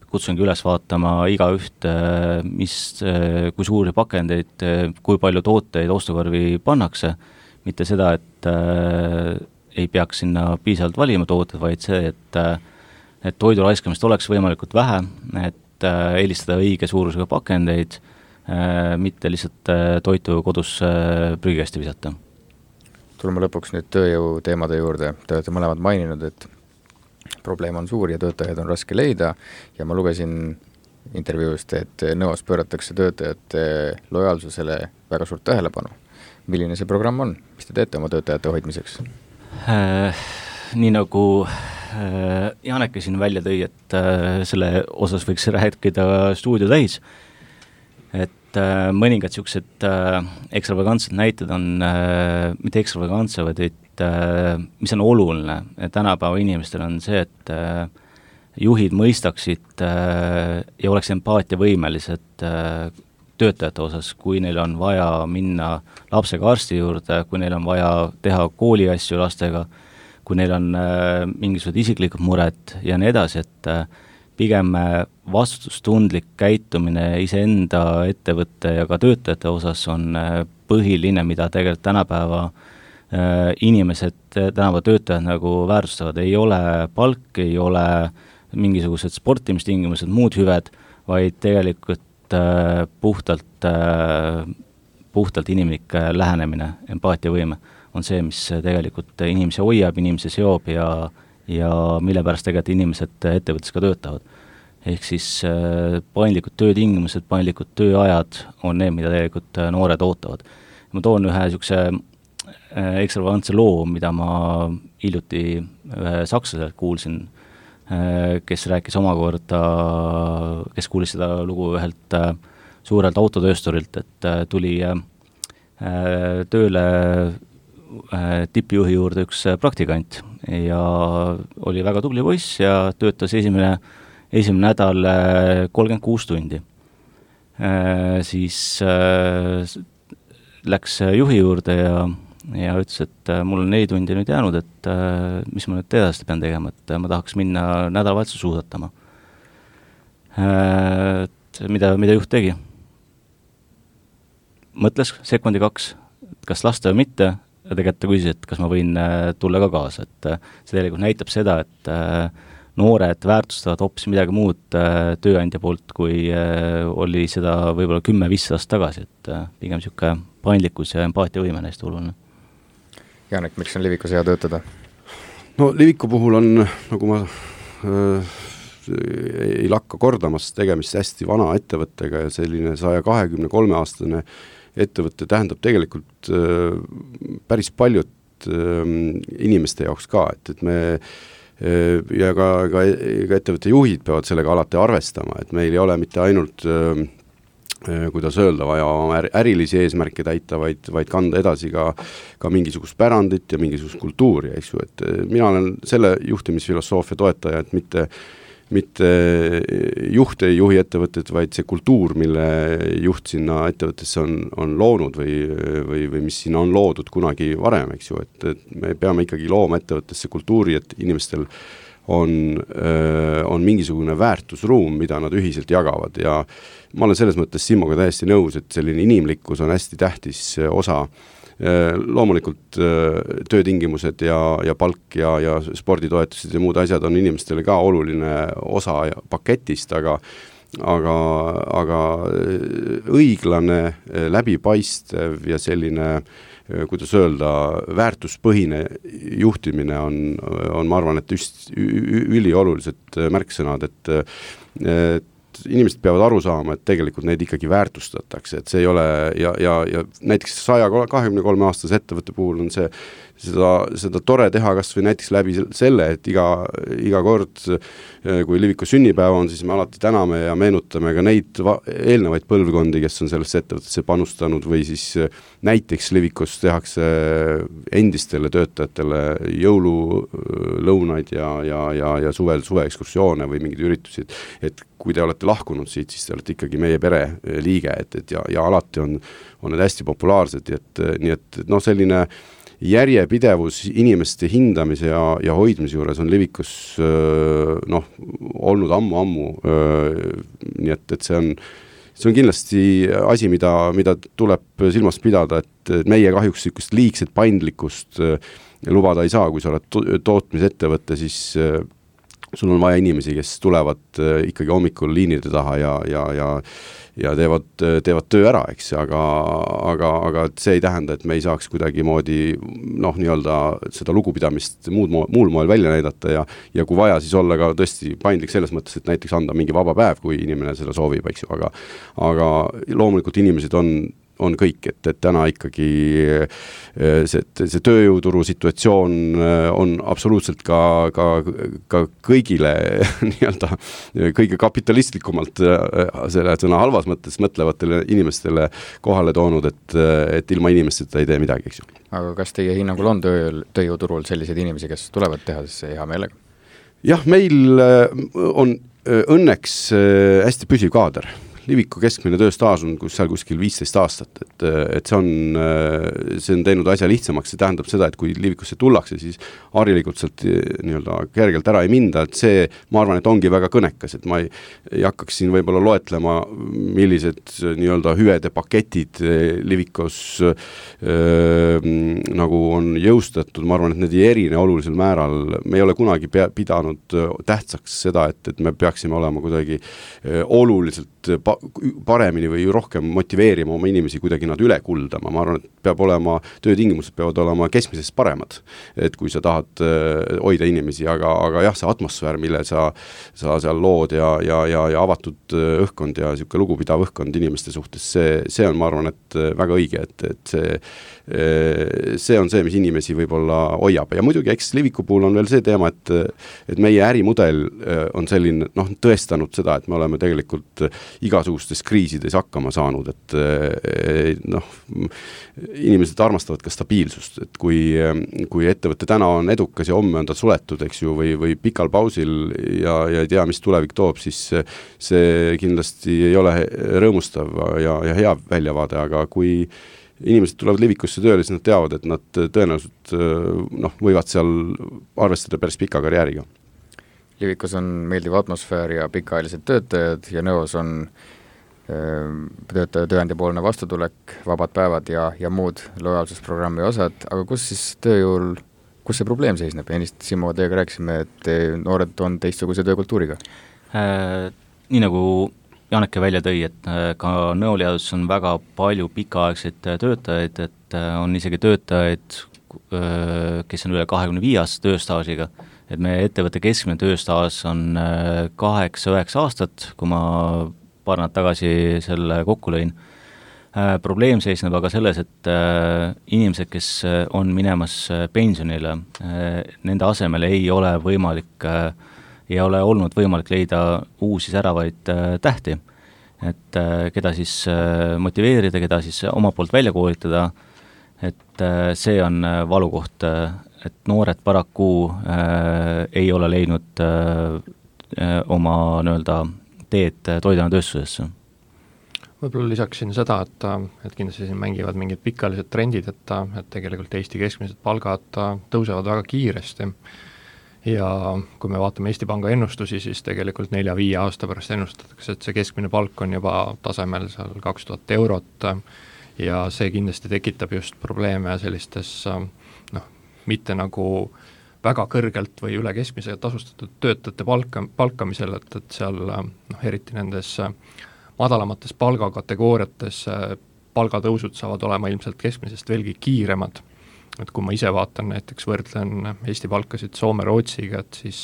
kutsungi üles vaatama igaüht, kui suuri pakendeid, kui palju tooteid ostukorvi pannakse, mitte seda, et ei peaks sinna piisavalt valima tooted, vaid see, et toidu raiskamist oleks võimalikult vähe, et eelistada õige suurusega pakendeid, mitte lihtsalt toitu kodus prügikasti visata. Tuleme lõpuks nüüd tööjõu teemade juurde. Te olete mõlemad maininud, et probleem on suur ja töötajaid on raske leida ja ma lugesin intervjuust, et nõos pööratakse töötajate lojaalsusele väga suurt tähelepanu. Milline see programm on? Mis te teete oma töötajate hoidmiseks? Nii nagu Janeke siin välja tõi, et selle osas võiks rääkida stuudio täis, et mõningad niisugused ekstravagantsed näited on, mitte ekstravagantsed, vaid mis on oluline tänapäeva inimestel on see, juhid mõistaksid ja oleks empaatiavõimelised töötajate osas, kui neil on vaja minna lapsega arsti juurde, kui neil on vaja teha kooliasju lastega, kui neil on mingisugused isiklikud mured ja nii edasi, et pigem vastutustundlik käitumine iseenda ettevõtte ja ka töötajate osas on põhiline, mida tegelikult tänapäeva inimesed, tänapäeva töötajad nagu väärtustavad. Ei ole palk, ei ole mingisugused sportimistingimused, muud hüved, vaid tegelikult puhtalt inimlik lähenemine, empaatiavõime on see, mis tegelikult inimesi hoiab, inimesi seob ja mille pärast tegelikult inimesed ettevõttes ka töötavad. Ehk siis paindlikud töötingimused, paindlikud tööajad on need, mida tegelikult noored ootavad. Ma toon ühe niisuguse ekstravagantse loo, mida ma hiljuti ühe sakslaselt kuulsin, kes rääkis omakorda, kes kuulis seda lugu ühelt suurelt autotöösturilt, et tuli tööle tippjuhi juurde üks praktikant ja oli väga tubli poiss ja töötas esimene nädal 36 tundi. Siis läks juhi juurde ja ütles, et mul on 4 tundi nüüd jäänud, et mis ma nüüd edasi pean tegema, et ma tahaks minna nädalavahetuse suusatama. Mida juht tegi? Mõtles sekundi 2, kas lasta või mitte, ja tegelikult ta küsis, et kas ma võin tulla ka kaasa, et see tegelikult näitab seda, et noored väärtustavad hoopis midagi muud tööandja poolt, kui oli seda võib-olla 10-15 aastat tagasi, et pigem niisugune paindlikkus ja empaatiavõime näist oluline. Janek, miks on Livikus hea töötada? No Liviku puhul on, nagu ma ei lakka kordamas, tegemist hästi vana ettevõttega ja selline 123-aastane ettevõtte tähendab tegelikult päris paljud inimeste jaoks ka, et me ja ka ettevõtte juhid peavad sellega alati arvestama, et meil ei ole mitte ainult kuidas öelda, vaja oma ärilisi eesmärke täita, vaid kanda edasi ka mingisugust pärandit ja mingisugust kultuuri, eks ju, et mina olen selle juhtimisfilosoofia toetaja, et mitte juht ei juhi ettevõtted, vaid see kultuur, mille juht sinna ettevõttesse on loonud või mis sinna on loodud kunagi varem, eks ju, et me peame ikkagi looma ettevõttesse kultuuri, et inimestel on mingisugune väärtusruum, mida nad ühiselt jagavad ja ma olen selles mõttes Simmoga täiesti nõus, et selline inimlikkus on hästi tähtis osa. Loomulikult töötingimused ja palk ja sporditoetused ja muud asjad on inimestele ka oluline osa paketist, aga õiglane, läbipaistev ja selline, kuidas öelda, väärtuspõhine juhtimine on ma arvan, et üliolulised märksõnad, et inimesed peavad aru saama, et tegelikult neid ikkagi väärtustatakse, et see ei ole ja näiteks 123-aastase ettevõtte puhul on seda tore teha kas või näiteks läbi selle, et iga kord, kui Liviku sünnipäev on, siis me alati täname ja meenutame ka neid eelnevaid põlvkondi, kes on sellesse ettevõttesse panustanud või siis näiteks Livikus tehakse endistele töötajatele jõululõunaid ja suveekskursioone või mingeid üritusi, et kui te olete lahkunud siit, siis te olete ikkagi meie pere liige, ja alati on need hästi populaarsed, nii et selline järjepidevus inimeste hindamise ja hoidmise juures on Livikus olnud ammu, nii et see on kindlasti asi, mida tuleb silmas pidada, et meie kahjuks sellist liigset paindlikkust lubada ei saa, kui sa oled tootmisettevõtte, siis sul on vaja inimesi, kes tulevad ikkagi hommikul liinide taha ja teevad töö ära, eks, aga see ei tähenda, et me ei saaks kuidagimoodi nii-öelda seda lugupidamist muul moel välja näidata ja kui vaja, siis olla ka tõesti paindlik selles mõttes, et näiteks anda mingi vaba päev, kui inimene seda soovib, eks ju, aga loomulikult inimesed on kõik, et täna ikkagi see tööjõuturu situatsioon on absoluutselt ka kõigile nii-öelda kõige kapitalistlikumalt selle sõna halvas mõttes mõtlevatele inimestele kohale toonud, et ilma inimesteta ei tee midagi, eks ju. Aga kas teie hinnangul on tööjõuturul selliseid inimesi, kes tulevad tehasesse hea meelega? Jah, meil on õnneks hästi püsiv kaader. Liviku keskmine tööstaaž on seal kuskil 15 aastat, et see on teinud asja lihtsamaks, see tähendab seda, et kui Livikusse tullakse, siis harilikult sealt nii-öelda kergelt ära ei minda, et see, ma arvan, et ongi väga kõnekas, et ma ei hakkaks siin võib-olla loetlema, millised nii-öelda hüvede paketid Livikos nagu on jõustatud, ma arvan, et need ei erine olulisel määral, me ei ole kunagi pidanud tähtsaks seda, et me peaksime olema kuidagi oluliselt paremini või rohkem motiveerima oma inimesi kuidagi nad üle kuldama. Ma arvan, et peab olema, töötingimused peavad olema keskmisest paremad, et kui sa tahad hoida inimesi, aga jah, see atmosfäär, mille sa seal lood ja avatud õhkkond ja siuke lugupidav õhkkond inimeste suhtes, see on, ma arvan, et väga õige, et see on see, mis inimesi võib-olla hoiab. Ja muidugi, eks Liviku puhul on veel see teema, et meie ärimudel on selline, tõestanud seda, et me oleme tegelikult igasugustes kriisides hakkama saanud, et inimesed armastavad ka stabiilsust, et kui ettevõte täna on edukas ja homme on ta suletud, eks ju, või pikal pausil ja ei tea, mis tulevik toob, siis see kindlasti ei ole rõõmustav ja hea väljavaade, aga kui inimesed tulevad Livikusse tööle, siis nad teavad, et nad tõenäoliselt võivad seal arvestada päris pika karjääriga. Livikus on meeldiv atmosfäär ja pikaajalised töötajad ja Nõos on tööandjapoolne vastutulek, vabad päevad ja muud lojaalsusprogrammi osad, aga kus siis tööjõul, kus see probleem seisneb? Ennist Simo teiega rääkisime, et noored on teistsuguse töökultuuriga. Nii nagu Janeke välja tõi, et ka Nõoliadus on väga palju pikaaegseid töötajaid, et on isegi töötajaid, kes on üle 25 aastast tööstaažiga, et meie ettevõtte keskmine tööstaaž on 8-9 aastat, kui ma paar nädalat tagasi selle kokku lõin. Probleem seisneb aga selles, et inimesed, kes on minemas pensionile, nende asemel ei ole olnud võimalik leida uusi säravaid tähti, et keda siis motiveerida, keda siis oma poolt välja koolitada, et see on valukoht, et noored paraku ei ole leidnud oma nii-öelda teed toiduainetööstusesse. Võib-olla lisaksin seda, et kindlasti siin mängivad mingid pikalised trendid, et tegelikult Eesti keskmised palgad tõusevad väga kiiresti. Ja kui me vaatame Eesti Panga ennustusi, siis tegelikult 4-5 aasta pärast ennustatakse, et see keskmine palk on juba tasemel seal 2000 eurot ja see kindlasti tekitab just probleeme sellistes mitte nagu väga kõrgelt või üle keskmise tasustatud töötajate palkamisel, et seal eriti nendes madalamates palgakategooriates palgatõusud saavad olema ilmselt keskmisest veelgi kiiremad. Et kui ma ise vaatan, näiteks võrdlen Eesti palkasid Soome-Rootsiga, et siis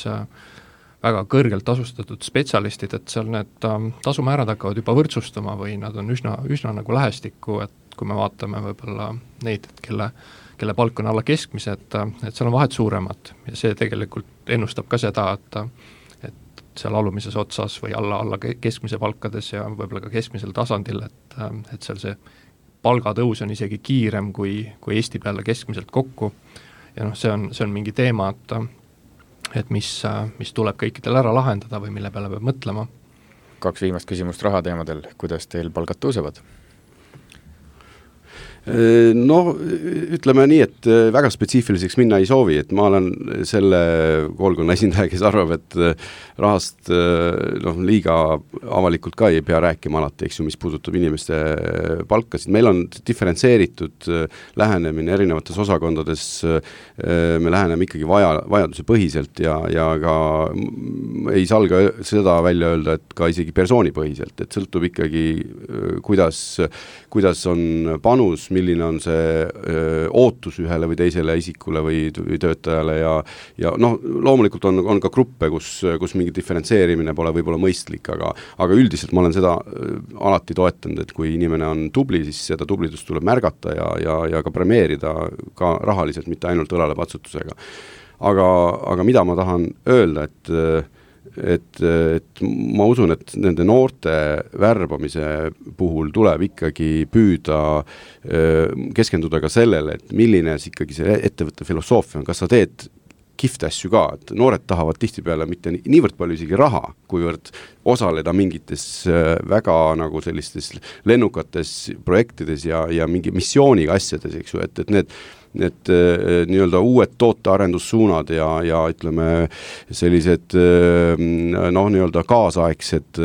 väga kõrgelt tasustatud spetsialistid, et seal need tasumäärad hakkavad juba võrdsustama või nad on üsna nagu lähestikku, et kui me vaatame võib-olla neid, kelle palk on alla keskmise, et seal on vahed suuremad ja see tegelikult ennustab ka seda, et seal alumises otsas või alla keskmise palkades ja võib-olla ka keskmisel tasandil, et seal see palgatõus on isegi kiirem kui Eesti peale keskmiselt kokku ja see on mingi teema, et mis tuleb kõikidel ära lahendada või mille peale peab mõtlema. 2 viimast küsimust rahateemadel, kuidas teil palgad tõusevad? Ütleme nii, et väga spetsiifiliseks minna ei soovi, et ma olen selle koolkonna esindaja, kes arvab, et rahast liiga avalikult ka ei pea rääkima alati, eks ju, mis puudutab inimeste palkasid. Meil on diferentseeritud lähenemine erinevates osakondades, me läheneme ikkagi vajaduse põhiselt ja ka ei salga seda välja öelda, et ka isegi persoonipõhiselt, et sõltub ikkagi, kuidas on panus, milline on see ootus ühele või teisele isikule või töötajale ja loomulikult on ka gruppe, kus mingi diferentseerimine pole võib-olla mõistlik, aga üldiselt ma olen seda alati toetanud, et kui inimene on tubli, siis seda tublidust tuleb märgata ja ka premeerida ka rahaliselt, mitte ainult õlalepatsutusega. Aga mida ma tahan öelda, et ma usun, et nende noorte värbamise puhul tuleb ikkagi püüda keskenduda ka sellele, et milline ikkagi see ettevõtte filosoofia on, kas sa teed kihvte asju ka, et noored tahavad tihtipeale mitte niivõrd palju isegi raha, kuivõrd osaleda mingites väga nagu sellistes lennukates projektides ja mingi missiooniga asjades, eks ju, et need nii-öelda uued tootearendussuunad ja ütleme sellised nii-öelda kaasaegsed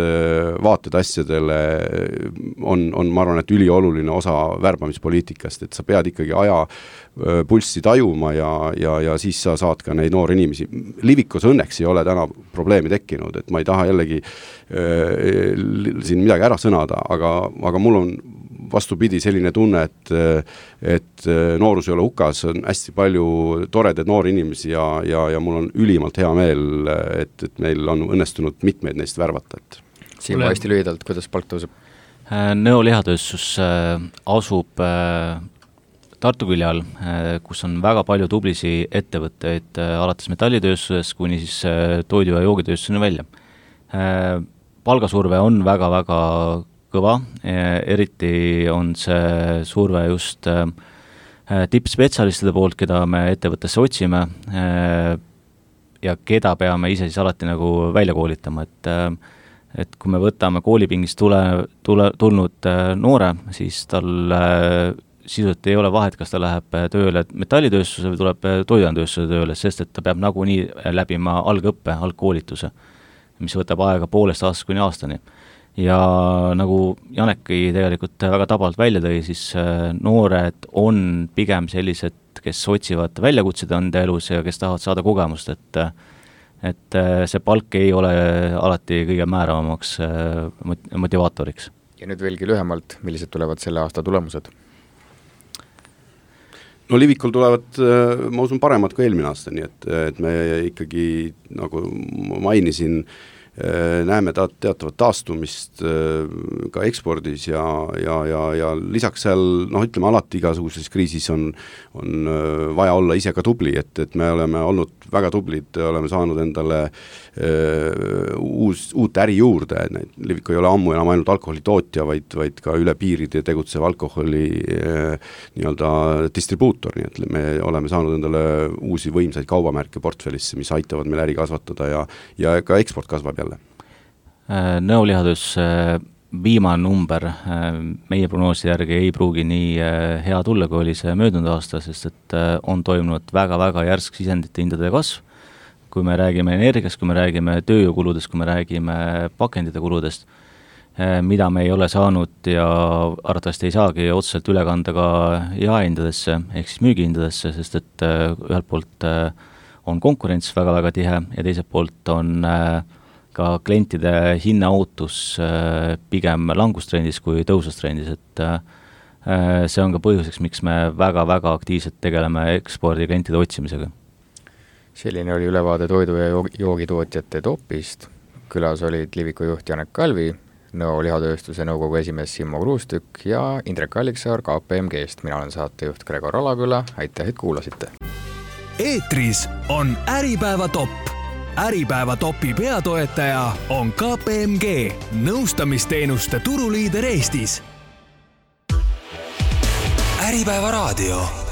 vaated asjadele on, ma arvan, et ülioluline osa värbamispoliitikast, et sa pead ikkagi aja pulssi tajuma ja siis sa saad ka neid noori inimesi. Livikos õnneks ei ole täna probleemi tekkinud, et ma ei taha jällegi siin midagi ära sõnada, aga mul on vastupidi selline tunne, et noorus ei ole hukas, on hästi palju toredaid noori inimesi ja mul on ülimalt hea meel, et meil on õnnestunud mitmeid neist värvata. Siim, hästi lühidalt, kuidas palk tõuseb? Nõo lihatööstus asub Tartu külje all, kus on väga palju tublisi ettevõtteid, alates metallitööstuses kuni siis toidu- ja joogitööstuseni välja. Palgasurve on väga-väga kõva, eriti on see surve just tippspetsialistide poolt, keda me ettevõttesse otsime ja keda peame ise siis alati nagu välja koolitama, et kui me võtame koolipingist tulnud noore, siis tal sisuliselt ei ole vahet, kas ta läheb tööle metallitööstuse või tuleb toiduainetööstuse tööle, sest et ta peab nagunii läbima algõppe, algkoolituse, mis võtab aega 1,5 aastast kuni aastani. Ja nagu Janeki tegelikult väga tabalt välja tõi, siis noored on pigem sellised, kes otsivad väljakutseid enda elus ja kes tahavad saada kogemust, et see palk ei ole alati kõige määravamaks motivaatoriks. Ja nüüd veelgi lühemalt, millised tulevad selle aasta tulemused? No Livikul tulevad, ma usun, paremad kui eelmine aasta, nii et me ikkagi, nagu mainisin, näeme teatavat taastumist ka ekspordis ja lisaks seal, ütleme alati igasuguses kriisis on vaja olla ise ka tubli, et me oleme olnud väga tublid, oleme saanud endale uut äri juurde, Livik ei ole ammu enam ainult alkoholitootja, vaid ka üle piiride tegutsev alkoholi nii-öelda distribuutor, nii et me oleme saanud endale uusi võimsaid kaubamärke portfellisse, mis aitavad meil äri kasvatada ja ka eksport kasvab jälle. Nõo lihatööstuse viimane number meie prognoosi järgi ei pruugi nii hea tulla, kui oli see möödunud aasta, sest et on toimunud väga-väga järsk sisendite hindade kasv. Kui me räägime energiast, kui me räägime tööjõukuludest, kui me räägime pakendite kuludest, mida me ei ole saanud ja arvatavasti ei saagi otseselt üle kanda ka jaehindadesse ehk siis müügihindadesse, sest et ühelt poolt on konkurents väga-väga tihe ja teiselt poolt on ka klientide hinnaootus pigem langustrendis kui tõusustrendis, et see on ka põhjuseks, miks me väga-väga aktiivselt tegeleme ekspordi klientide otsimisega. Selline oli ülevaade toidu- ja joogitootjate topist. Külas olid Liviku juht Janek Kalvi, Nõo lihatööstuse nõukogu esimees Simmo Kruustükk ja Indrek Alliksaar KPMG-st. Mina olen saatejuht Gregor Alaküla, aitäh, et kuulasite. Eetris on Äripäeva topp. Äripäeva topi peatoetaja on KPMG, nõustamisteenuste turuliider Eestis. Äripäeva raadio.